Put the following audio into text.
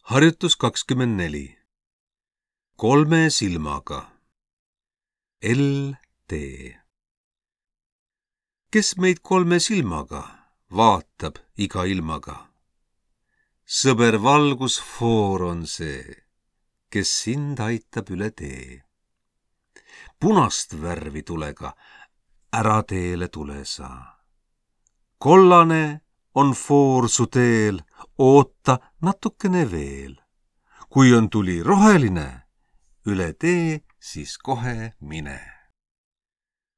Harjutus 24. Kolme silmaga. LT. Kes meid kolme silmaga vaatab iga ilmaga? Sõber valgusfoor on see, kes sind aitab üle tee. Punast värvi tulega ära teele tule sa. Kollane on foor su teel, oota natukene veel. Kui on tuli roheline, üle tee siis kohe mine.